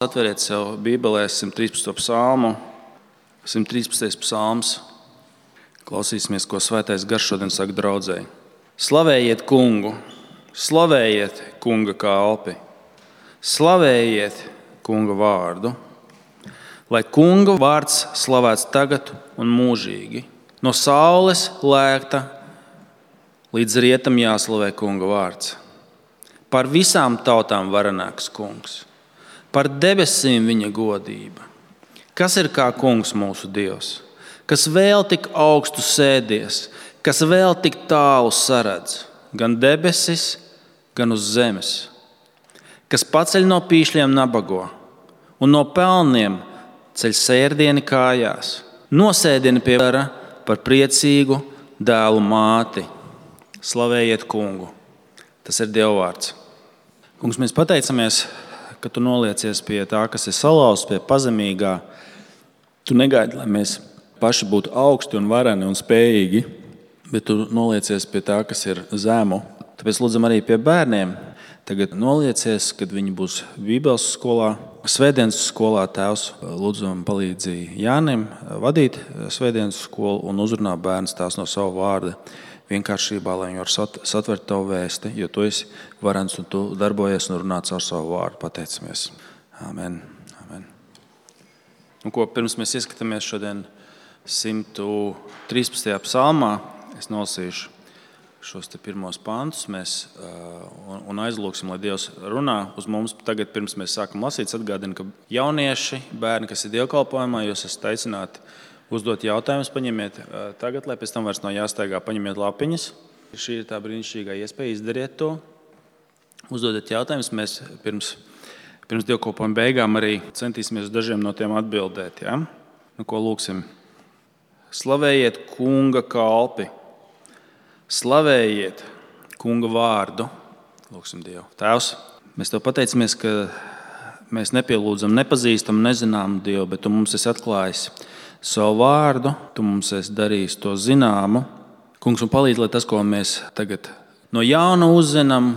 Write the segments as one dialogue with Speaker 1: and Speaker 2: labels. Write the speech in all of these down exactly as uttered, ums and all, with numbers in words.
Speaker 1: Atveriet sev Bībelē simt trīspadsmito psalmu, simt trīspadsmitais psalms. Klausīsimies, ko Svētais Gars šodien saka draudzei. Slavējiet kungu, slavējiet kunga kalpi, slavējiet kunga vārdu, lai kunga vārds slavēts tagad un mūžīgi. No saules lēkta līdz rietam jāslavē kunga vārds. Par visām tautām varenāks kungs. Par debesīm viņa godība. Kas ir kā kungs mūsu Dievs, kas vēl tik augstu sēdies, kas vēl tik tālu saredz, gan debesis, gan uz zemes, kas paceļ no pīšļiem nabago un no pelniem ceļ sērdieni kājās, nosēdieni pie vara par priecīgu dēlu māti. Slavējiet kungu. Tas ir Dieva vārds. Kungs, mēs pateicamies, ka tu noliecies pie tā, kas ir salauzts, pie pazemīgā. Tu negaidi, lai mēs paši būtu augsti un vareni un spējīgi, bet tu noliecies pie tā, kas ir zemu. Tāpēc lūdzam arī pie bērniem. Tagad noliecies, kad viņi būs Bībeles skolā, svētdienas skolā. Tēvs, lūdzam palīdzi Jānim vadīt svētdienas skolu un uzrunā bērns tās no savu vārdu. Vienkāršībā, lai viņi var satvert tavu vēsti, jo tu esi varens un tu darbojies un runā caur savu vārdu. Pateicamies. Amen. Amen. Un ko, pirms mēs ieskatāmies šodien simt trīspadsmitajā psalmā, es nolasīšu šos te pirmos pantus mēs, un, un aizlūksim, lai Dievs runā uz mums. Tagad, pirms mēs sākam lasīt, atgādinu, ka jaunieši, bērni, kas ir dievkalpojumā, jūs esat aicināti uzdot jautājumus, paņemiet tagad, lai pēc tam vairs nav jāsteigā, paņemiet lapiņas. Šī ir tā brīnišķīgā iespēja, izdariet to. Uzdodiet jautājumus, mēs pirms, pirms dievkalpojuma beigām arī centīsimies uz dažiem no tiem atbildēt. Ja? Nu, ko lūksim? Slavējiet kunga kalpi, slavējiet kunga vārdu. Lūksim Dievu. Tēvs, mēs tev pateicamies, ka mēs nepielūdzam, nepazīstam, nezinām Dievu, bet tu mums esi atklājis savu vārdu, tu mums esi darījis to zināmu. Kungs, un palīdz, lai tas, ko mēs tagad no jauna uzzinām,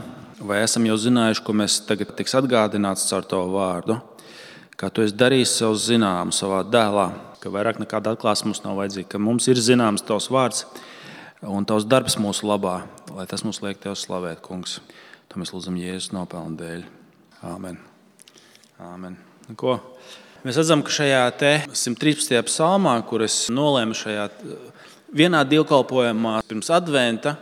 Speaker 1: vai esam jau zinājuši, ko mēs tagad tiks atgādināts caur tavu vārdu, kā tu esi darījis savu zināmu savā dēlā, ka vairāk nekāda atklāsme mums nav vajadzīga, ka mums ir zināms tavs vārds un tavs darbs mūsu labā, lai tas mums liek tev slavēt, kungs. To mēs lūdzam Jēzus nopelnu dēļ. Āmen. Āmen. Ko? Mēs redzam, ka šajā te simt trīspadsmitajā psalmā, kur es nolēmu šajā vienā dievkalpojumā pirms adventa,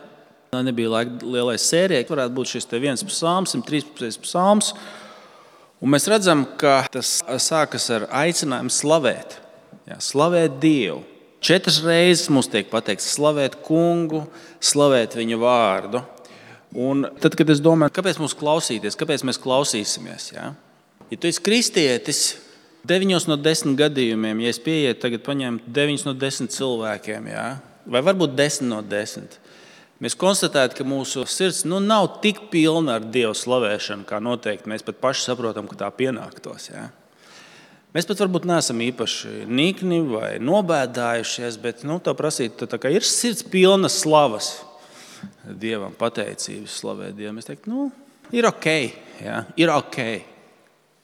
Speaker 1: nebija laika lielai sērijai, varētu būt šis te viens psalms, simt trīspadsmitais psalms, un mēs redzam, ka tas sākas ar aicinājumu slavēt, jā, slavēt Dievu. Četras reizes mums tiek pateikts slavēt kungu, slavēt viņa vārdu. Un tad, kad es domāju, kāpēc mums klausīties, kāpēc mēs klausīsimies, jā? Ja tu esi kristietis, deviņos no desmit gadījumiem, ja es pieietu tagad paņemt deviņus no desmit cilvēkiem, jā, vai varbūt desmit no desmit, mēs konstatētu, ka mūsu sirds nu, nav tik pilna ar Dievu slavēšanu, kā noteikti mēs pat paši saprotam, ka tā pienāktos. Jā. Mēs pat varbūt neesam īpaši nikni vai nobēdājušies, bet nu, tā prasīt, tā kā ir sirds pilna slavas Dievam, pateicības slavēt Dievam. Mēs teiktu, nu, ir ok, jā, ir ok.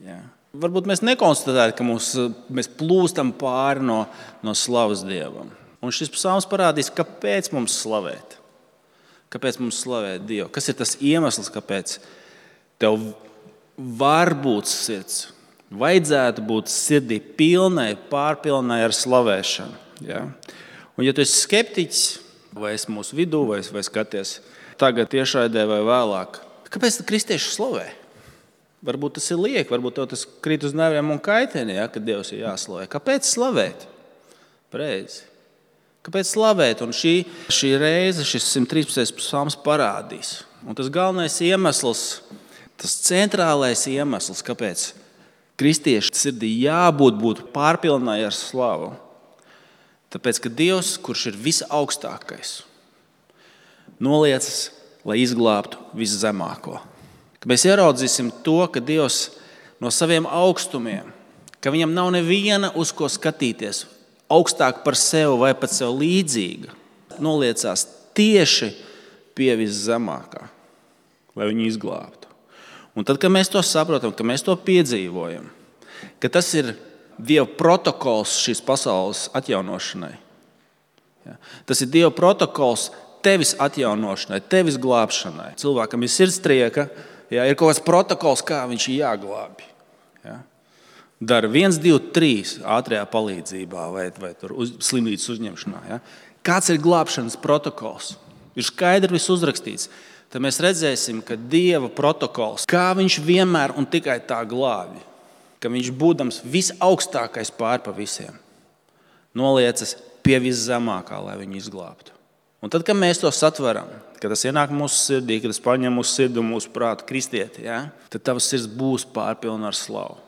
Speaker 1: Jā. Varbūt mēs nekonstatējam, ka mums, mēs plūstam pāri no, no slavas Dievam. Un šis psalms parādīs, kāpēc mums slavēt. Kāpēc mums slavēt Dievu? Kas ir tas iemesls, kāpēc tev var būt sirds? Vajadzētu būt sirdī pilnai, pārpilnai ar slavēšanu. Ja? Un ja tu esi skeptiķis, vai esi mūsu vidū, vai, vai skaties tagad tiešraidē vai vēlāk, kāpēc kristieši slavē? Varbūt tas ir lieki, varbūt tev tas krīt uz nerviem un kaitini, ja, ka Dievs ir jāslavē. Kāpēc slavēt? Pareizi. Kāpēc slavēt? Un šī, šī reize, šis simt trīspadsmitais psalms parādīs. Un tas galvenais iemesls, tas centrālais iemesls, kāpēc kristiešu sirdī jābūt būt pārpilnai ar slavu. Tāpēc, ka Dievs, kurš ir visaugstākais, noliecas, lai izglābtu viszemāko. Ka mēs ieraudzīsim to, ka Dievs no saviem augstumiem, ka viņam nav neviena uz ko skatīties, augstāk par sevi vai pat sev līdzīga, noliecās tieši pie viszemākā, lai viņu izglābtu. Un tad, kad mēs to saprotam, ka mēs to piedzīvojam, ka tas ir Dieva protokols šīs pasaules atjaunošanai. Ja? Tas ir Dieva protokols tevis atjaunošanai, tevis glābšanai. Cilvēkam ir sirdstrieka, ja, ir kaut kāds protokols, kā viņš ir jāglābj. Ja? Dara viens, divi, trīs ātrajā palīdzībā vai, vai tur uz, slimības uzņemšanā. Ja? Kāds ir glābšanas protokols? Ir skaidri viss uzrakstīts. Tad mēs redzēsim, ka Dieva protokols, kā viņš vienmēr un tikai tā glābj, ka viņš būdams visaugstākais pār pa visiem, noliecas pie viszemākā, lai viņu izglābtu. Un tad, kad mēs to satveram, kad tas ienāk mūsu sirdī, kad tas paņem mūsu sirdi un mūsu prātu kristieti, ja, tad tavs sirds būs pārpilna ar slavu.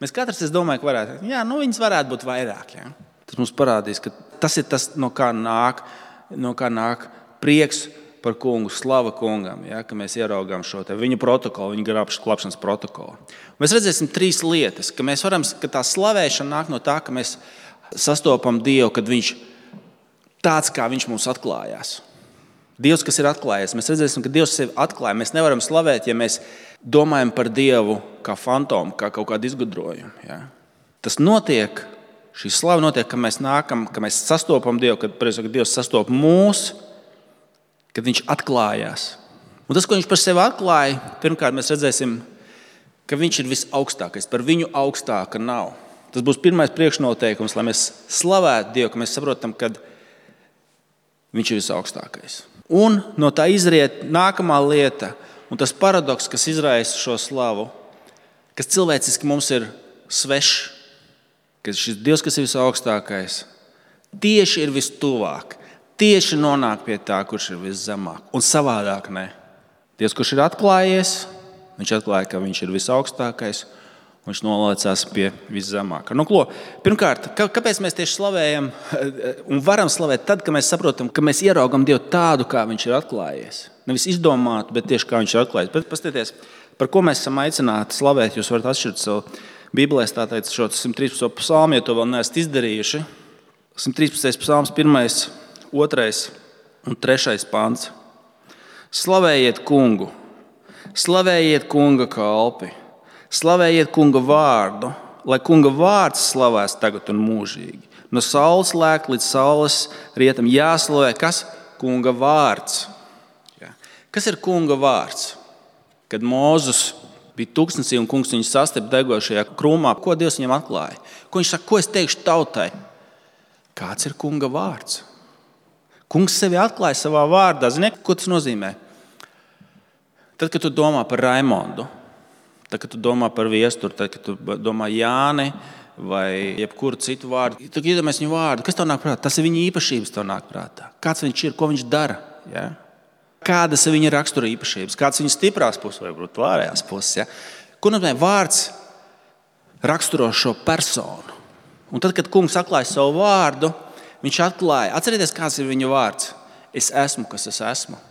Speaker 1: Mēs katrs, es domāju, ka varētu, jā, nu viņas varētu būt vairāk. Ja. Tas mums parādīs, ka tas ir tas, no kā nāk, no kā nāk prieks par kungu, slava kungam, ja, ka mēs ieraugām šo te viņa protokolu, viņa glābšanas protokolu. Mēs redzēsim trīs lietas, ka mēs varam, ka tā slavēšana nāk no tā, ka mēs sastopam Dievu, kad viņš tāds, kā viņš mums atklājās. Dievs, kas ir atklājies, mēs redzēsim, ka Dievs sevi atklāja. Mēs nevaram slavēt, ja mēs domājam par Dievu kā fantomu, kā kaut kādu izgudrojumu. Ja. Tas notiek, šī slava notiek, ka mēs nākam, ka mēs sastopam Dievu, kad, kad Dievs sastop mūs, kad viņš atklājās. Un tas, ko viņš par sevi atklāja, pirmkārt mēs redzēsim, ka viņš ir visaugstākais. Par viņu augstāka nav. Tas būs pirmais priekšnoteikums, lai mēs slavētu Dievu, ka mēs saprotam, ka viņš ir visaugstākais. Un no tā izriet nākamā lieta, un tas paradoks, kas izraisa šo slavu, kas cilvēciski mums ir svešs, ka šis Dievs, kas ir visaugstākais, tieši ir vistuvāk. Tieši nonāk pie tā, kurš ir viszemāk, un savādāk ne. Dievs, kurš ir atklājies, viņš atklāja, ka viņš ir visaugstākais, un viņš noliecās pie viszemākā. Nu, klo, pirmkārt, kāpēc mēs tieši slavējam un varam slavēt tad, kad mēs saprotam, ka mēs ieraugam Dievu tādu, kā viņš ir atklājies. Nevis izdomātu, bet tieši kā viņš ir atklājies. Bet paskatieties, par ko mēs esam aicināti slavēt, jūs varat atšķirt savu Bībelēs, tā teica šo simt trīspadsmito psalmu, ja to vēl neesat izdarījuši. simt trīspadsmitais psalms, pirmais, otrais un trešais pants. Slavējiet kungu, slavējiet kunga kalpi, slavējiet kunga vārdu, lai kunga vārds slavās tagad un mūžīgi. No saules lēk līdz saules rietam jāslavē, kas? Kunga vārds. Ja. Kas ir kunga vārds? Kad Mūzes bija tūkstnesī un kungs viņu sastapa degošajā krūmā, ko Dievs viņam atklāja? Ko viņš saka, ko es teikšu tautai? Kāds ir kunga vārds? Kungs sevi atklāja savā vārdā. Ziniet, ko tas nozīmē? Tad, kad tu domā par Raimondu, tad, kad tu domā par Viesturu, tad, kad tu domā Jāni vai jebkuru citu vārdu, tad iedomājies viņu vārdu. Kas tev nāk prātā? Tas ir viņa īpašības, tev nāk prātā. Kāds viņš ir, ko viņš dara? Ja? Kādas ir viņa rakstura īpašības? Kāds ir viņa stiprās puses vai varbūt vārējās puses? Ja? Ko nozīmē vārds raksturo šo personu? Un tad, kad kungs atklāja savu vārdu, viņš atklāja, atcerieties, kāds ir viņa vārds. Es esmu, kas es esmu.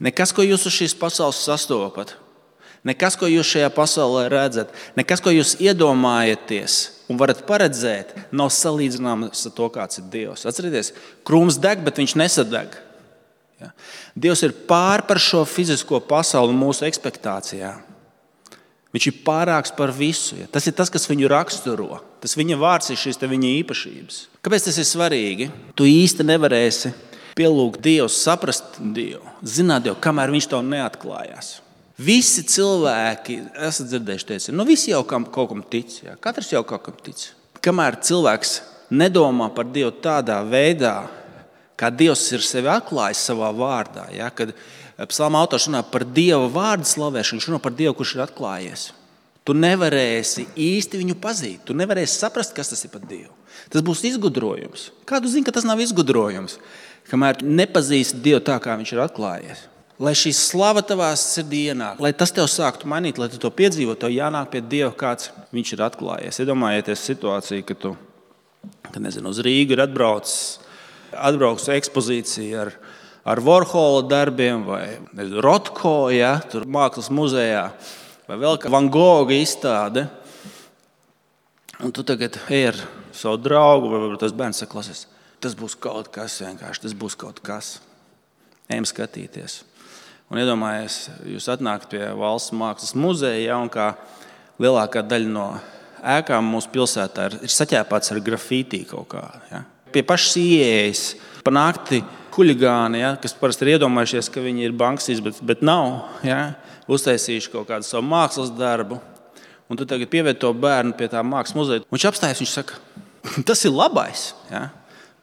Speaker 1: Nekas, ko jūs uz šīs pasaules sastopat, nekas, ko jūs šajā pasaulē redzat, nekas, ko jūs iedomājaties un varat paredzēt, nav salīdzināms ar to, kāds ir Dievs. Atcerieties, krūms deg, bet viņš nesadeg. Ja? Dievs ir pār par šo fizisko pasauli un mūsu ekspektācijām. Viņš ir pārāks par visu. Ja? Tas ir tas, kas viņu raksturo. Tas viņa vārds ir šīs viņa īpašības. Kāpēc tas ir svarīgi? Tu īsti nevarēsi pielūgt Dievu, saprast Dievu, zināt Dievu, kamēr viņš tev neatklājās. Visi cilvēki, esat dzirdējuši teici, nu visi jau kaut kam tic. Ja? Katrs jau kaut kam tic. Kamēr cilvēks nedomā par Dievu tādā veidā, kā Dievs ir sevi atklājis savā vārdā, ja? Kad psalma autors runā par Dieva vārdu slavēšanu, viņš runā par Dievu, kurš ir atklājies. Tu nevarēsi īsti viņu pazīt. Tu nevarēsi saprast, kas tas ir par Dievu. Tas būs izgudrojums. Kā tu zini, ka tas nav izgudrojums? Kamēr tu nepazīsti Dievu tā, kā viņš ir atklājies. Lai šī slava tavā sirdī ienāk, lai tas tev sāktu mainīt, lai tu to piedzīvo, tev jānāk pie Dieva, kāds viņš ir atklājies. Iedomājieties situāciju, ka tu, kad nezinu, uz Rīgu ir atbraucis, atbraucis ekspozīcija ar, ar Warhola darbiem vai nezinu, Rotko, ja, tur mākslas muzejā, vai vēl kā Van Gogha izstāde. Un tu tagad ej ar savu draugu, vai varbūt tas bērns saka, klausies, tas būs kaut kas vienkārši, tas būs kaut kas. Ejam skatīties. Un iedomājies, jūs atnākat pie Valsts mākslas muzeja, ja, un kā lielākā daļa no ēkām mūsu pilsētā ir, ir saķēpāts ar grafītī kaut kā. Ja? Pie pašas ieejas pa nakti huligāni, ja? Kas parasti ir iedomājušies, ka viņi ir banksīs, bet, bet nav. Ja? Uztaisījuši kaut kādu savu mākslas darbu. Un tu tagad pieved to bērnu pie tā mākslas muzeja. Viņš apstājas, viņš saka, tas ir labais. Ja?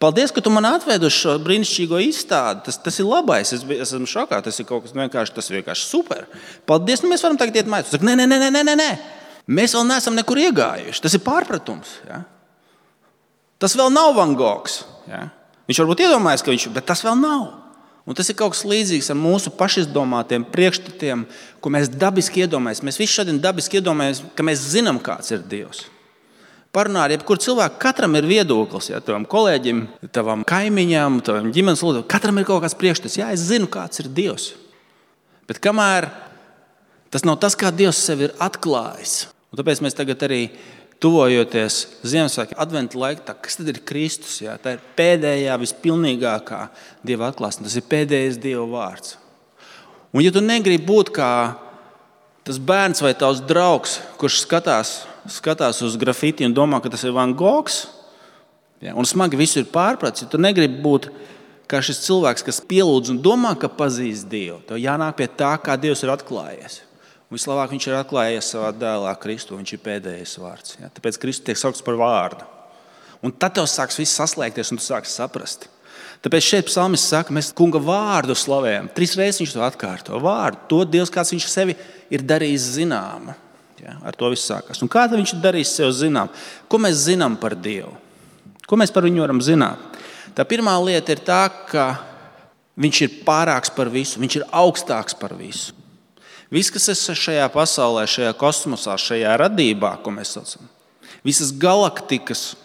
Speaker 1: Paldies, ka tu man atvedi uz šo brīnišķīgo izstādi. Tas, tas ir labais. Es, es esmu šokā. Tas ir kaut kas vienkārši, tas ir vienkārši super. Paldies, nu mēs varam tagad iet mājās. Tu saka, nē, nē, nē, nē, nē, nē. Mēs vēl neesam nekur iegājuši. Tas ir pārpratums. Ja? Tas vēl nav Van Gogs. Ja? Viņš varbūt iedomājas, ka viņš, bet tas vēl nav. Un tas ir kaut kas līdzīgs ar mūsu pašizdomātiem priekšstatiem, ko mēs dabiski iedomājamies. Mēs visi šodien dabiski iedomājamies, ka mēs zinām, kāds ir Dievs. Parunā ar jebkuru cilvēku, katram ir viedoklis, ja, tavam kolēģim, tavam kaimiņam, tavam ģimenes loceklim, katram ir kaut kāds priekšstats. Jā, es zinu, kāds ir Dievs. Bet kamēr tas nav tas, kā Dievs sevi ir atklājis. Un tāpēc mēs tagad arī tuvojoties Ziemassvētku adventa laikā, kas tad ir Kristus? Ja? Tā ir pēdējā, vispilnīgākā Dieva atklāsme. Tas ir pēdējais Dieva vārds. Un ja tu negribi būt kā tas bērns vai tavs draugs, kurš skatās, skatās uz grafiti un domā, ka tas ir Van Gogs, ja, un smagi visu ir pārprats, ja tu negribi būt kā šis cilvēks, kas pielūdz un domā, ka pazīst Dievu, tev jānāk pie tā, kā Dievs ir atklājies. Un vislabāk viņš ir atklājies savā dēlā Kristu, viņš ir pēdējais vārds. Ja? Tāpēc Kristus tiek saukts par vārdu. Un tad tev sāks viss saslēgties un tu sāks saprast. Tāpēc šeit psalmists saka, mēs kunga vārdu slavējam. Trīs reizes viņš to atkārto. Vārdu, to Dievs, kāds viņš sevi ir darījis zināmu. Ja? Ar to viss sākās. Un kā tad viņš ir darījis sev zinām? Ko mēs zinām par Dievu? Ko mēs par viņu varam zināt? Tā pirmā lieta ir tā, ka viņš ir pārāks par visu. Viņš ir augstāks par visu. Viss, kas ir šajā pasaulē, šajā kosmosā, šajā radībā, ko mēs saucam, visas galaktikas,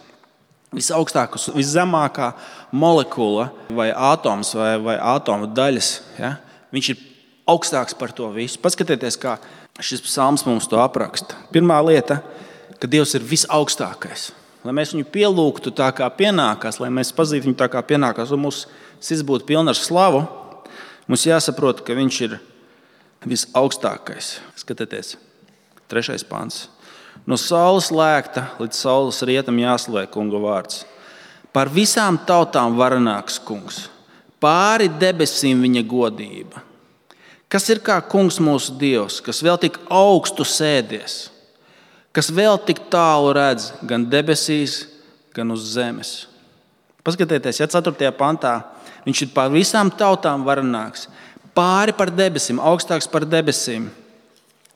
Speaker 1: visaugstākās, viszemākā molekula vai atoms vai, vai atoma daļas, ja? Viņš ir augstāks par to visu. Paskatieties, kā šis psalms mums to apraksta. Pirmā lieta, ka Dievs ir visaugstākais. Lai mēs viņu pielūgtu tā, kā pienākās, lai mēs pazītu viņu tā, kā pienākās, un mūsu sirds būtu pilna ar slavu, mums jāsaprot, ka viņš ir visaugstākais. Skatieties, trešais pants. No saules lēkta līdz saules rietam jāslavē kunga vārds. Par visām tautām varenāks kungs. Pāri debesīm viņa godība. Kas ir kā kungs mūsu Dievs, kas vēl tik augstu sēdies, kas vēl tik tālu redz gan debesīs, gan uz zemes. Paskatieties, ja ceturtajā pantā viņš ir par visām tautām varenāks. Pāri par debesīm, augstāks par debesīm,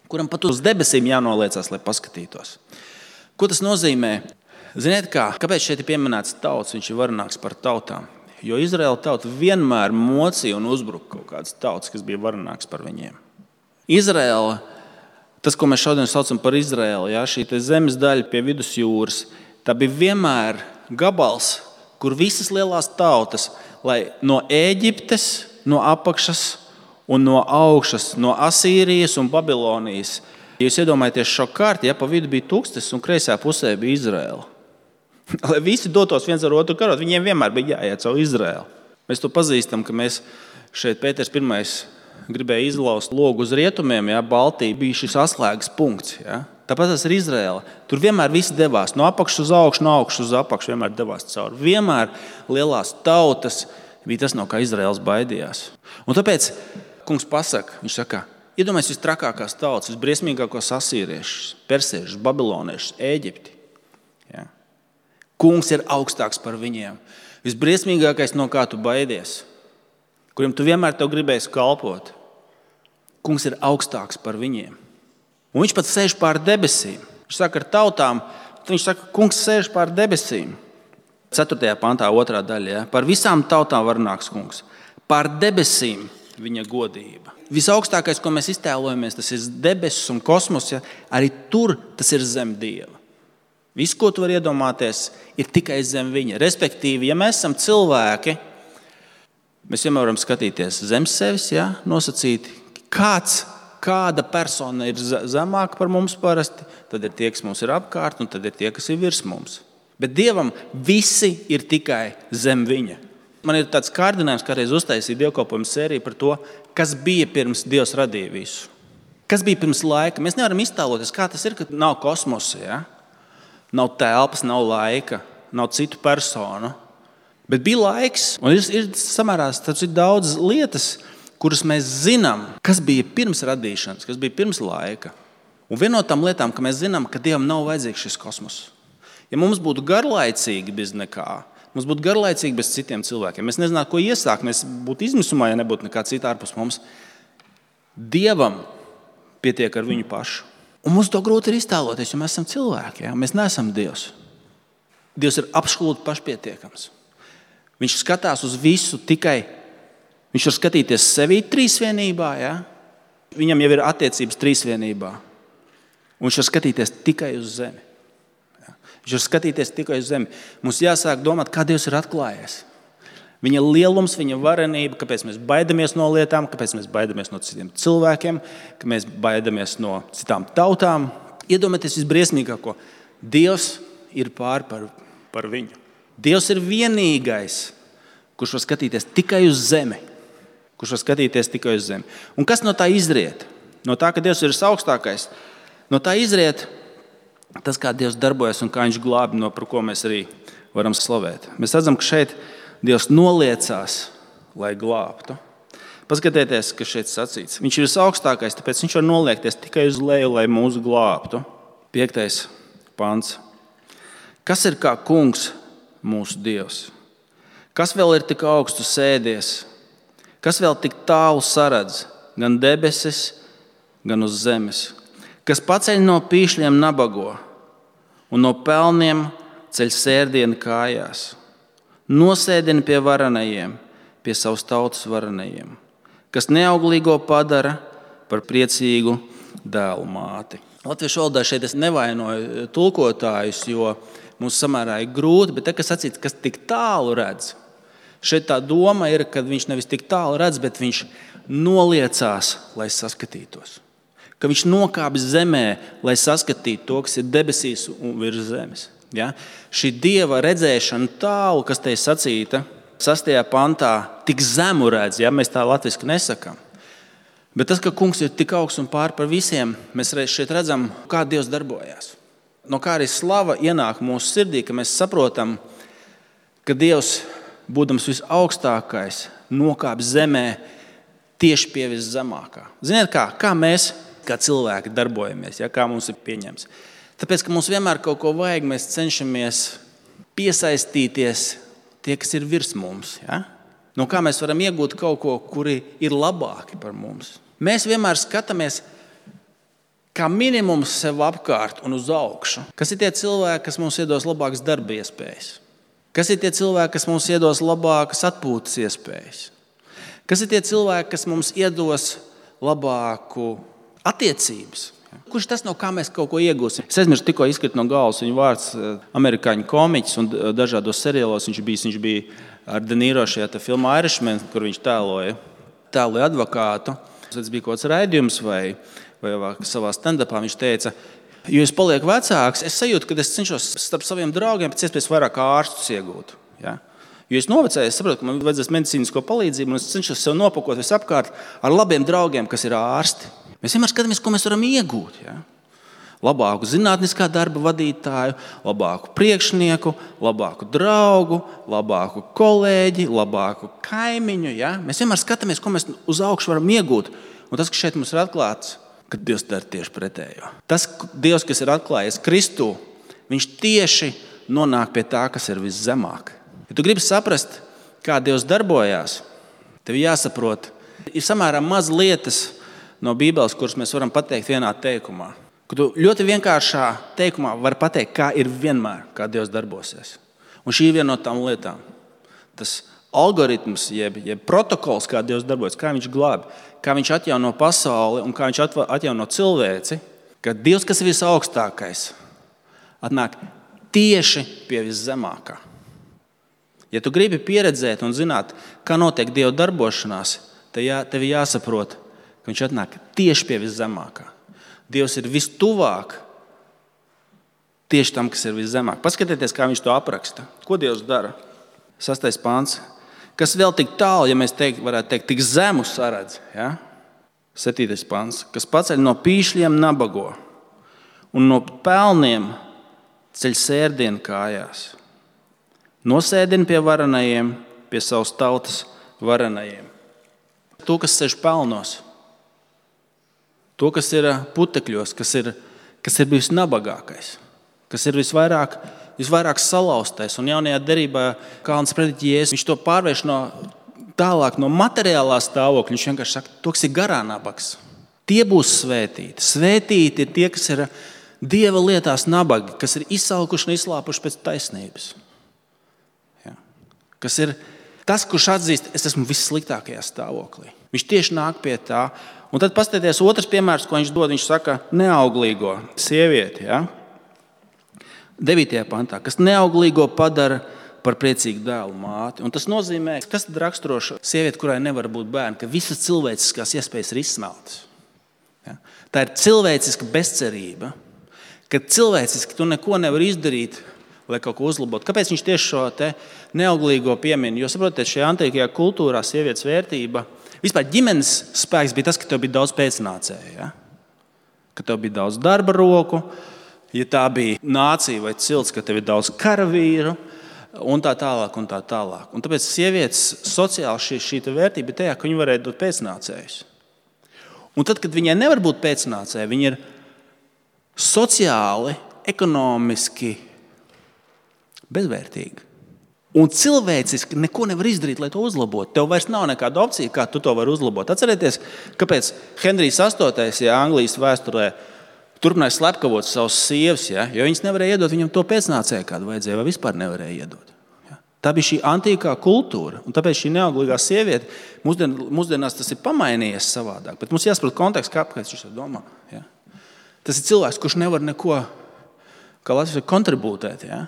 Speaker 1: kuram pat uz debesīm jānoliecās, lai paskatītos. Ko tas nozīmē? Ziniet kā, kāpēc šeit ir pieminēts tauts, viņš ir varenāks par tautām? Jo Izraēla tauta vienmēr mocīja un uzbruka kaut kādas tautas, kas bija varenāks par viņiem. Izraēla, tas, ko mēs šodien saucam par Izraēlu, ja, šī zemes daļa pie vidusjūras, tā bija vienmēr gabals, kur visas lielās tautas, lai no Ēģiptes, no apakšas, un no augšas, no Asīrijas un Babilonijas. Ja jūs iedomājaties šo kārti, ja pa vidu bija tūkstotis un kreisā pusē bija Izraēla. Lai visi dotos viens ar otru karot, viņiem vienmēr bija jāiet savu Izraēlu. Mēs to pazīstam, ka mēs šeit Pēters pirmais gribēja izlaust logu uz rietumiem, ja, Baltija bija šis atslēgas punkts. Ja. Tāpat tas ir Izraēla. Tur vienmēr visi devās no apakšas uz augšu, no augšas uz apakšu vienmēr devās cauri. Vienmēr lielās tautas bija tas, no kā Izraēls baidījās. Un tāpēc kungs pasaka, viņš saka, iedomājies vistrakākās tautas, visbriesmīgākos asīriešus, persiešus, babiloniešus, Ēģipti. Ja. Kungs ir augstāks par viņiem. Visbriesmīgākais, no kā tu baidies, kuriem tu vienmēr tev gribēsi kalpot. Kungs ir augstāks par viņiem. Un viņš pat sēž pār debesīm. Viņš saka ar tautām, viņš saka, kungs sēž pār debesīm. ceturtajā pantā, otrā daļa. Ja? Par visām tautām varenāks kungs. Pār debesīm viņa godība. Visaugstākais, ko mēs iztēlojamies, tas ir debesis un kosmos, ja? Arī tur tas ir zem Dieva. Viss, ko tu vari iedomāties, ir tikai zem viņa. Respektīvi, ja mēs esam cilvēki, mēs vienmēr varam skatīties zem sevis, ja? Nosacīt, kāds, kāda persona ir zemāka par mums parasti, tad ir tie, kas mums ir apkārt, un tad ir tie, kas ir virs mums. Bet Dievam visi ir tikai zem viņa. Man ir tāds kārdinājums, kādreiz uztaisīja dievkalpojumu sēriju par to, kas bija pirms Dievs radīja visu. Kas bija pirms laika? Mēs nevaram iztēloties, kā tas ir, kad nav kosmosa, ja? Nav telpas, nav laika, nav citu personu. Bet bija laiks, un ir, ir samērā daudz lietas, kuras mēs zinām, kas bija pirms radīšanas, kas bija pirms laika. Un viena no tām lietām, ka mēs zinām, ka Dievam nav vajadzīgs šis kosmos. Ja mums būtu garlaicīgi bez nekā, mums būtu garlaicīgi bez citiem cilvēkiem, mēs nezinātu, ko iesākt, mēs būtu izmisumā, ja nebūtu nekā cita ārpus mums. Dievam pietiek ar viņu pašu. Un mums to grūti ir iztēloties, jo mēs esam cilvēki, ja? Mēs neesam Dievs. Dievs ir absolūti pašpietiekams. Viņš skatās uz visu tikai, viņš var skatīties sevī trīsvienībā, ja? Viņam jau ir attiecības trīsvienībā. Un viņš var skatīties tikai uz zemi. Ja? Viņš var skatīties tikai uz zemi. Mums jāsāk domāt, kā Dievs ir atklājies. Viņa lielums, viņa varenība, kāpēc mēs baidamies no lietām, kāpēc mēs baidamies no citiem cilvēkiem, ka mēs baidamies no citām tautām. Iedomājieties visbriesmīgāko. Dievs ir pār par, par viņu. Dievs ir vienīgais, kurš var skatīties tikai uz zemi. Kurš var skatīties tikai uz zemi. Un kas no tā izriet? No tā, ka Dievs ir augstākais. No tā izriet tas, kā Dievs darbojas un kā viņš glābi, no par ko mēs arī varam slavēt. Mēs redzam, ka šeit Dievs noliecās, lai glābtu. Paskatieties, kas šeit sacīts. Viņš ir visaugstākais, tāpēc viņš var noliekties tikai uz leju, lai mūsu glābtu. Piektais pants. Kas ir kā kungs mūsu Dievs? Kas vēl ir tik augstu sēdies? Kas vēl tik tālu saredz? Gan debesis, gan uz zemes. Kas paceļ no pīšļiem nabago un no pelniem ceļ sērdienu kājās. Nosēdina pie varenajiem, pie savas tautas varenajiem. Kas neauglīgo padara par priecīgu dēlu māti. Latviešu valodā šeit es nevainoju tulkotājus, jo mums samērā ir grūti, bet te, kas sacīts, kas tik tālu redz, šeit tā doma ir, ka viņš nevis tik tālu redz, bet viņš noliecās, lai saskatītos. Ka viņš nokāpj zemē, lai saskatītu to, kas ir debesīs un virs zemes. Ja? Šī Dieva redzēšana tālu, kas te ir sacīta, sastajā pantā, tik zemu redz, ja? Mēs tā latviski nesakām. Bet tas, ka kungs ir tik augsts un pār par visiem, mēs šeit redzam, kā Dievs darbojās. No kā arī slava ienāk mūsu sirdī, ka mēs saprotam, ka Dievs, būdams visaugstākais, nokāpj zemē tieši pie viszemākā. Ziniet kā? Kā mēs, kā cilvēki, darbojamies, ja? Kā mums ir pieņemts. Tāpēc, ka mums vienmēr kaut ko vajag, mēs cenšamies piesaistīties tie, kas ir virs mums. Ja? No kā mēs varam iegūt kaut ko, kuri ir labāki par mums. Mēs vienmēr skatāmies kā minimums sev apkārt un uz augšu. Kas ir tie cilvēki, kas mums iedos labākas darba iespējas? Kas ir tie cilvēki, kas mums iedos labākas atpūtas iespējas? Kas ir tie cilvēki, kas mums iedos labāku attiecības? Kurš tas no kā mēs kaut ko iegūsim? Es aizmirstu, tikko izkrita no galvas viņa vārds amerikāņu komiķis un dažādos seriālos viņš bija, viņš bija ar De Niro šajā filmā Irishman, kur viņš tēloja, tēloja advokātu. Tas bija kaut kāds raidījums vai, vai, vai savā stand-upā viņš teica, jo es palieku vecāks, es sajūtu, ka es cenšos starp saviem draugiem pēc iespējas vairāk ārstus iegūt. Ja? Jo es novecēju, es saprotu, ka man vajadzēs medicīnisko palīdzību un es cenšos sev nopakot visapkārt ar labiem draugiem, kas ir ārsti. Mēs vienmēr skatāmies, ko mēs varam iegūt. Ja? Labāku zinātniskā darba vadītāju, labāku priekšnieku, labāku draugu, labāku kolēģi, labāku kaimiņu. Ja? Mēs vienmēr skatāmies, ko mēs uz augšu varam iegūt. Un tas, kas šeit mums ir atklāts, ka Dievs dara tieši pretējo. Tas Dievs, kas ir atklājies Kristū, viņš tieši nonāk pie tā, kas ir viszemāk. Ja tu gribi saprast, kā Dievs darbojās, tev jāsaprot, ir samērā maz lietas no Bībeles, kuras mēs varam pateikt vienā teikumā. Ka tu ļoti vienkāršā teikumā vari pateikt, kā ir vienmēr, kā Dievs darbosies. Un šī ir viena no tām lietām. Tas algoritms, jeb, jeb protokols, kā Dievs darbojas, kā viņš glābi, kā viņš atjauno pasauli un kā viņš atjauno cilvēci, ka Dievs, kas ir visaugstākais, atnāk tieši pie viszemākā. Ja tu gribi pieredzēt un zināt, kā notiek Dieva darbošanās, tad jā, tev jāsaprot, ka viņš atnāk tieši pie viszemākā. Dievs ir vistuvāk tieši tam, kas ir viszemāk. Paskatieties, kā viņš to apraksta. Ko Dievs dara? Sastais pants. Kas vēl tik tālu, ja mēs teikt, varētu teikt, tik zemu saredz. Ja? septītais pants, kas paceļ no pīšļiem nabago un no pelniem ceļ sērdienu kājās. Nosēdina pie varenajiem, pie savas tautas varenajiem. To, kas sēž pelnos, to, kas ir putekļos, kas ir, kas ir bijis nabagākais, kas ir visvairāk, visvairāk salauztais. Un jaunajā derībā Kalns prediķi Jēzus, viņš to pārvērš no tālāk no materiālā stāvokļa. Viņš vienkārši saka, to, kas ir garā nabags. Tie būs svētīti. Svētīti ir tie, kas ir Dieva lietās nabagi, kas ir izsalkuši un izslāpuši pēc taisnības. Ja. Kas ir tas, kurš atzīst, es esmu vissliktākajā stāvoklī. Viņš tieši nāk pie tā. Un tad paskatieties otrs piemērs, ko viņš dod. Viņš saka neauglīgo sievieti. Ja? devītajā pantā, kas neauglīgo padara par priecīgu dēlu māti. Un tas nozīmē, kas tad raksturo sievieti, kurai nevar būt bērni, ka visas cilvēciskās iespējas ir izsmeltas. Ja? Tā ir cilvēciska bezcerība, ka cilvēciski tu neko nevar izdarīt, lai kaut ko uzlabotu. Kāpēc viņš tieši šo te neauglīgo piemin? Jo, saprotiet, šajā antīkajā kultūrā sievietes vērtība, vispār ģimenes spēks bija tas, ka tev bija daudz pēcnācēju. Ja? Ka tev bija daudz darba roku, ja tā bija nācija vai cilts, ka tev ir daudz karavīru, un tā tālāk, un tā tālāk. Un tāpēc sievietes sociāli šī, šī vērtība ir tajā, ka viņi varēja dot pēcnācējus. Un tad, kad viņai nevar būt pēcnācēji, viņi ir sociāli, ekonomiski bezvērtīgi. Un cilvēciski neko nevar izdarīt, lai to uzlabotu. Tev vairs nav nekāda opcija, kā tu to vari uzlabot. Atcerieties, kāpēc Henrijs astotais ja, Anglijas vēsturē turpināja slepkavot savus sievas, ja, jo viņas nevarēja iedot viņam to pēcnācēju, kādu vajadzēja, vai vispār nevarēja iedot. Ja. Tā bija šī antīkā kultūra, un tāpēc šī neauglīgā sieviete, mūsdien, mūsdienās tas ir pamainījies savādāk, bet mums jāsaprot konteksts, kāpēc viņš to domā. Ja. Tas ir cilvēks, kurš nevar neko, kā Latvijas kontribūtēt. Ja.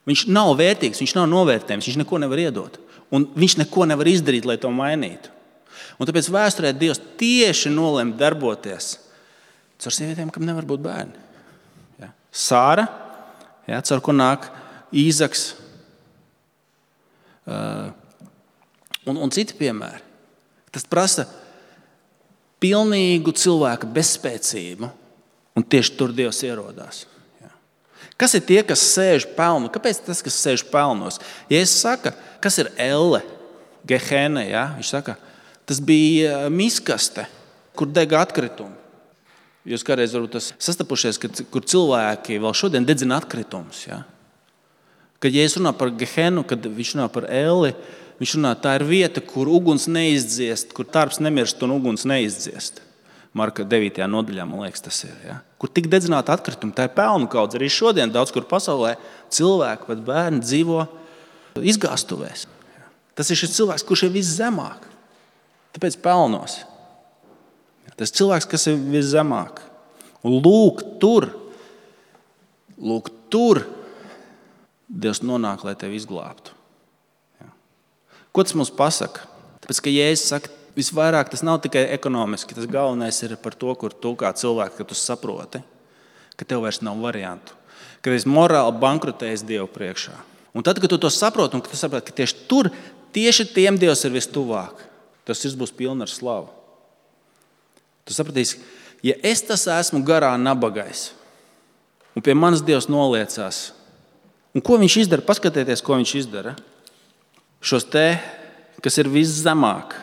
Speaker 1: Viņš nav vērtīgs, viņš nav novērtējums, viņš neko nevar iedot, un viņš neko nevar izdarīt, lai to mainītu. Un tāpēc vēsturē Dievs tieši nolēma darboties caur sievietēm, kam nevar būt bērni. Ja. Sāra, ja, caur ko nāk Īzaks uh, un, un citi piemēri. Tas prasa pilnīgu cilvēka bezspēcību, un tieši tur Dievs ierodās. Ja. Kas ir tie, kas sēž pelnu? Kāpēc tas, kas sēž pelnos? Ja es saku, kas ir elle, Gehena, ja? Viņš saka, tas bija miskaste, kur dega atkritumi. Jūs kādreiz varbūt tas sastapušies, kad, kur cilvēki vēl šodien dedzina atkritumus. Ja? Kad ja es runā par Gehenu, kad viņš runā par elli, viņš runā, tā ir vieta, kur uguns neizdziest, kur tarps nemirst un uguns neizdziest. Marka devītajā nodaļā, man liekas, tas ir. Ja? Kur tik dedzināta atkritumi, tā ir pelnu kaudze. Arī šodien daudz kur pasaulē cilvēki, pat bērni dzīvo izgāstuvēs. Ja? Tas ir šis cilvēks, kurš ir viszemāk. Tāpēc pelnos. Tas cilvēks, kas ir viszemāk. Un lūk, tur, lūk, tur Dievs nonāk, lai tevi izglābtu. Ja. Ko tas mums pasaka? Tāpēc, ka Jēzus saka, visvairāk tas nav tikai ekonomiski, tas galvenais ir par to, kur tu kā cilvēks, ka tu saproti, ka tev vairs nav variantu. Ka esi morāli bankrotējis Dievu priekšā. Un tad, kad tu to saproti, un ka tu saproti, ka tieši tur, tieši tiem Dievs ir vistuvāk, tas sirds būs pilna ar slavu. Tu sapratīsi, ja es tas esmu garā nabagais, un pie manas Dievs noliecās, un ko viņš izdara? Paskatieties, ko viņš izdara. Šos te, kas ir viszemāk,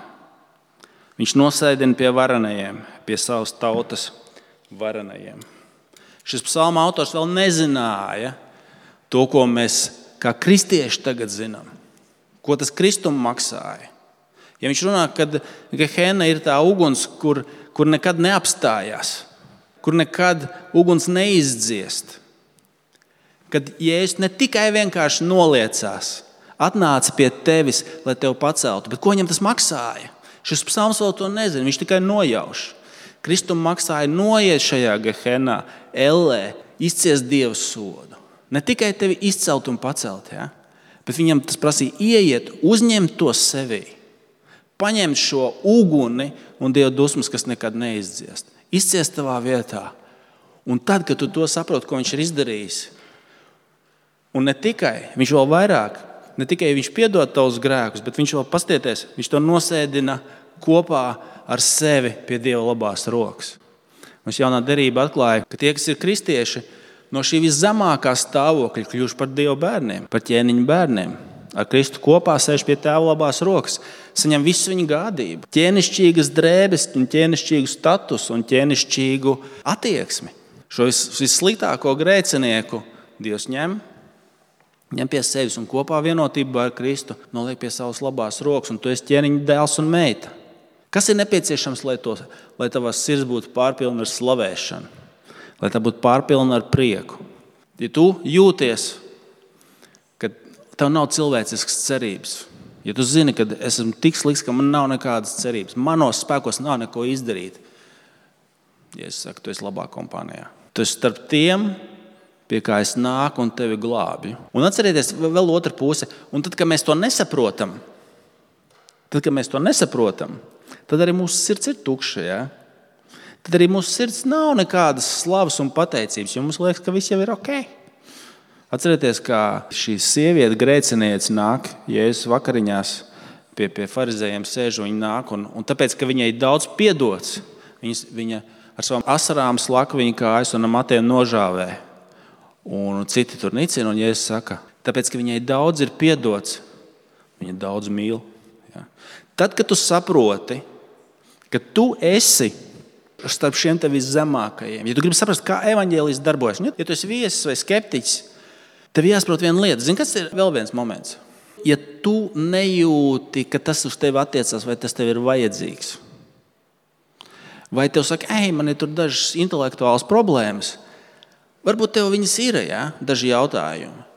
Speaker 1: viņš nosēdina pie varenajiem, pie savas tautas varenajiem. Šis psalma autors vēl nezināja to, ko mēs kā kristieši tagad zinām. Ko tas Kristum maksāja. Ja viņš runā, kad Gehena ir tā uguns, kur, kur nekad neapstājās, kur nekad uguns neizdziest, kad Jēzus ne tikai vienkārši noliecās, atnāca pie tevis, lai tevi paceltu, bet ko viņam tas maksāja? Šis psalms vēl to nezina, viņš tikai nojauš. Kristum maksāja noiet šajā Gehenā, ellē, izciest Dieva sodu. Ne tikai tevi izcelt un pacelt, ja? Bet viņam tas prasīja ieiet, uzņemt to sevī. Paņemt šo uguni un Dieva dusmas, kas nekad neizdziest. Izciest tavā vietā. Un tad, kad tu to saproti, ko viņš ir izdarījis, un ne tikai, viņš vēl vairāk, ne tikai viņš piedod tavus grēkus, bet viņš vēl pastieties, viņš to nosēdina kopā ar sevi pie Dieva labās rokas. Mums jaunā derība atklāja, ka tie, kas ir kristieši, no šī viszemākā stāvokļa kļuvuši par Dieva bērniem, par ķēniņu bērniem. Ar Kristu kopā sēž pie Tēva labās rokas, saņem visu viņa gādību, ķēnišķīgas drēbes, ķēnišķīgu statusu un ķēnišķīgu attieksmi. Šo vis, vissliktāko grēcinieku Dievs ņem, ņem pie sevis un kopā vienotībā ar Kristu noliek pie savas labās rokas, un tu esi ķēniņa dēls un meita. Kas ir nepieciešams, lai, to, lai tavas sirds būtu pārpilna ar slavēšanu, lai tā būtu pārpilna ar prieku? Ja tu jūties, ka tev nav cilvēciskas cerības, ja tu zini, ka es esmu tik slikts, ka man nav nekādas cerības, manos spēkos nav neko izdarīt, ja es saku, tu esi labā kompānijā. Tu esi starp tiem, pie kā es nāku un tevi glābju. Un atcerieties vēl otra puse. Un tad, kad mēs to nesaprotam, tad, kad mēs to nesaprotam, tad arī mūsu sirds ir tukša. Ja? Tad arī mūsu sirds nav nekādas slavas un pateicības, jo mums liekas, ka viss jau ir ok. Atcerieties, kā šī sieviete grēciniece nāk Jēzus vakariņās pie, pie farizējiem sēž, un viņa nāk, un, un tāpēc, ka viņai daudz piedots, viņas, viņa ar savām asarām slaka viņa kājas un ar matiem nožāvē. Un citi tur nicina, un Jēzus saka, tāpēc, ka viņai daudz ir piedots, viņa daudz mīl. Ja. Tad, kad tu saproti, ka tu esi starp šiem tev viszemākajiem, ja tu gribi saprast, kā evaņģēlijs darbojas, ja tu esi viesis vai skeptiķis, tev jāsaprot viena lieta. Zini, kas ir vēl viens moments? Ja tu nejūti, ka tas uz tevi attiecās, vai tas tev ir vajadzīgs, vai tev saka, ej, man ir tur dažas intelektuālas problēmas, varbūt tev viņas ir, ja? Daži jautājumi.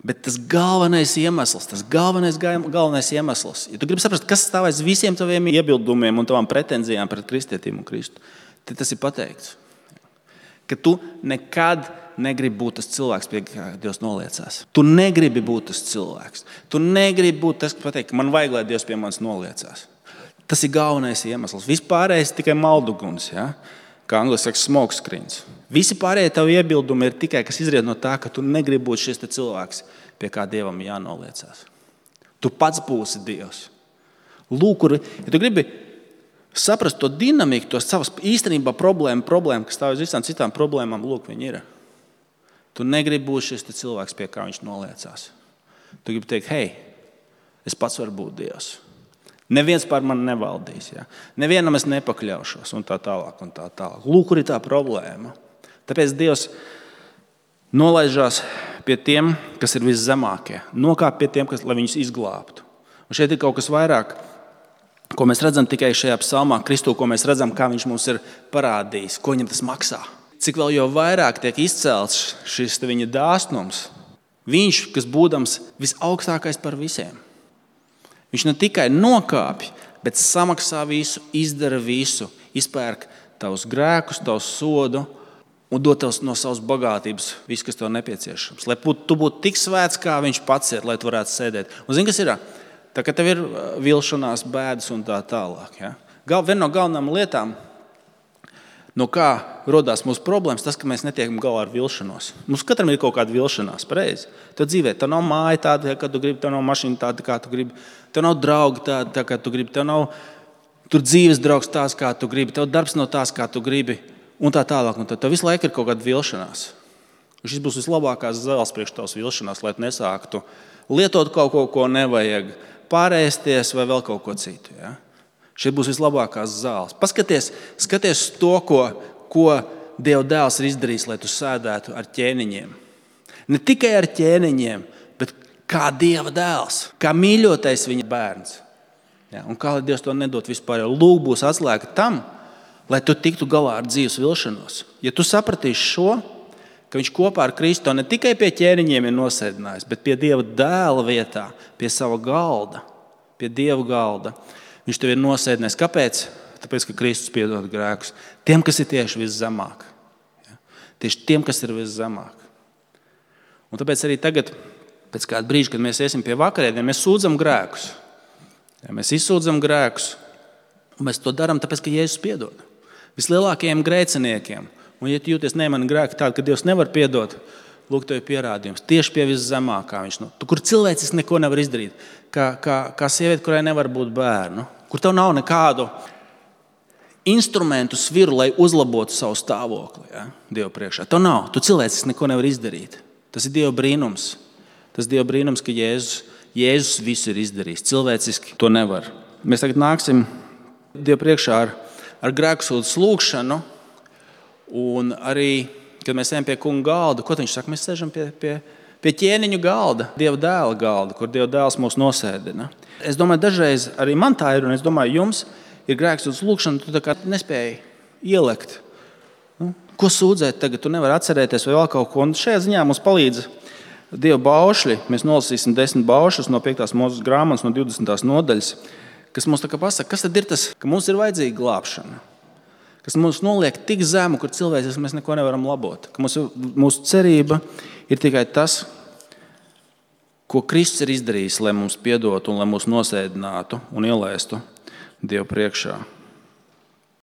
Speaker 1: Bet tas galvenais iemesls, tas galvenais, galvenais iemesls, ja tu gribi saprast, kas stāv aiz visiem taviem iebildumiem un tavām pretenzijām pret kristietību un Kristu, tad tas ir pateikts. Ka tu nekad negribi būt tas cilvēks, pie kā Dievs noliecās. Tu negribi būt tas cilvēks. Tu negribi būt tas, kas pateikt, ka man vajag, lai Dievs pie manis noliecās. Tas ir galvenais iemesls. Vispārējais tikai malduguns, ja? Kā angliski saka, smoke screens. Visi pārējie tavi iebildumi ir tikai, kas izriet no tā, ka tu negribi būt šis cilvēks, pie kā Dievam jānoliecās. Tu pats būsi Dievs. Lūk, kur, ja tu gribi saprast to dinamiku, to savas īstenībā problēmu, problēmu, kas stāv uz visām citām problēmām, lūk, viņi ir. Tu negribi būt šis cilvēks, pie kā viņš noliecās. Tu gribi teikt, hei, es pats varu būt Dievs. Neviens pār mani nevaldīs. Ja? Nevienam es nepakļaušos un tā tālāk un tā tālāk. Lūk, kur ir tā problēma. Tāpēc Dievs nolaižās pie tiem, kas ir viszemākie. Nokāp pie tiem, kas, lai viņus izglābtu. Un šeit ir kaut kas vairāk, ko mēs redzam tikai šajā psalmā, Kristu, ko mēs redzam, kā viņš mums ir parādījis, ko viņam tas maksā. Cik vēl jau vairāk tiek izcelts šis viņa dāsnums. Viņš, kas būdams visaugstākais par visiem. Viņš ne tikai nokāpj, bet samaksā visu, izdara visu, izpērk tavus grēkus, tavus sodu un dod tev no savas bagātības visu, kas tev nepieciešams. Lai tu būtu tik svēts, kā viņš pats ir, lai tu varētu sēdēt. Un zini, kas ir? Tā kā tev ir vilšanās, bēdas un tā tālāk. Ja? Gal, viena no galvenām lietām, no kā rodās mūsu problēmas, tas, ka mēs netiekam galā ar vilšanos. Mums katram ir kaut kāda vilšanās, pareizi. Tev dzīvē, tev nav māja tāda, kā tu gribi, tev nav mašīna tāda, kā tu gribi, tev nav draugi tāda, tā, kā tu gribi, tev nav tur dzīves draugs tās, kā tu gribi, tev darbs nav tās, kā tu gribi, un tā tālāk. Un tad tev visu laiku ir kaut kāda vilšanās. Un šis būs vislabākās zāles priekš tavas vilšanās, lai tu nesāktu lietot kaut ko, ko nevajag, pārēsties vai vēl kaut ko citu, ja? Šeit būs vislabākās zāles. Paskaties, skaties to, ko, ko Dieva dēls ir izdarījis, lai tu sēdētu ar ķēniņiem. Ne tikai ar ķēniņiem, bet kā Dieva dēls, kā mīļotais viņa bērns. Ja, un kā lai Dievs to nedot vispār, jo lūk būs atslēga tam, lai tu tiktu galā ar dzīves vilšanos. Ja tu sapratīsi šo, ka viņš kopā ar Kristu ne tikai pie ķēniņiem ir nosēdinājis, bet pie Dieva dēla vietā, pie sava galda, pie Dieva galda, viņš tev ir nosēdinājis. Kāpēc? Tāpēc, ka Kristus piedod grēkus. Tiem, kas ir tieši viszemāk. Ja? Tieši tiem, kas ir viszemāk. Un tāpēc arī tagad, pēc kāda brīža, kad mēs iesim pie vakarēdieniem, mēs sūdzam grēkus. Ja, mēs izsūdzam grēkus. Un mēs to darām, tāpēc, ka Jēzus piedod. Vislielākajiem grēciniekiem. Un ja tu jūties, ne, man grēki tādi, ka Dievs nevar piedot, lūk, tev ir pierādījums. Tieši pie viszemākā viņš. Nu, kur cilvēcis neko nevar izdarīt. Kā, kā, kā sieviete, kurai nevar būt bērnu. kur tev nav nekādu instrumentu sviru, lai uzlabotu savu stāvokli, ja? Dieva priekšā. Tev nav, tu cilvēciski neko nevar izdarīt. Tas ir Dieva brīnums. Tas ir Dieva brīnums, ka Jēzus, Jēzus visu ir izdarījis. Cilvēciski to nevar. Mēs tagad nāksim Dieva priekšā ar, ar grēksūdzes lūgšanu, un arī, kad mēs ejam pie kunga galda, ko viņš saka? Mēs sēžam pie, pie, pie ķēniņu galda, Dieva dēla galda, kur Dieva dēls mūs nosēdina. Es domāju, dažreiz arī man tā ir, un es domāju, jums ir grēksūdzes lūgšana, tu tā kā nespēji ielekt. Nu, ko sūdzēt tagad? Tu nevari atcerēties vai vēl kaut ko. Un šajā ziņā mums palīdz Dieva baušļi. Mēs nolasīsim desmit baušļus no piektās Mūzes grāmatas, no divdesmitās nodaļas, kas mums tā kā pasaka, kas tad ir tas, ka mums ir vajadzīga glābšana. Kas mums noliek tik zemu, kur cilvēks mēs neko nevaram labot. Ka mūsu, mūsu cerība ir tikai tas, ko Kristus ir izdarījis, lai mums piedotu un lai mūs nosēdinātu un ielaistu Dievu priekšā.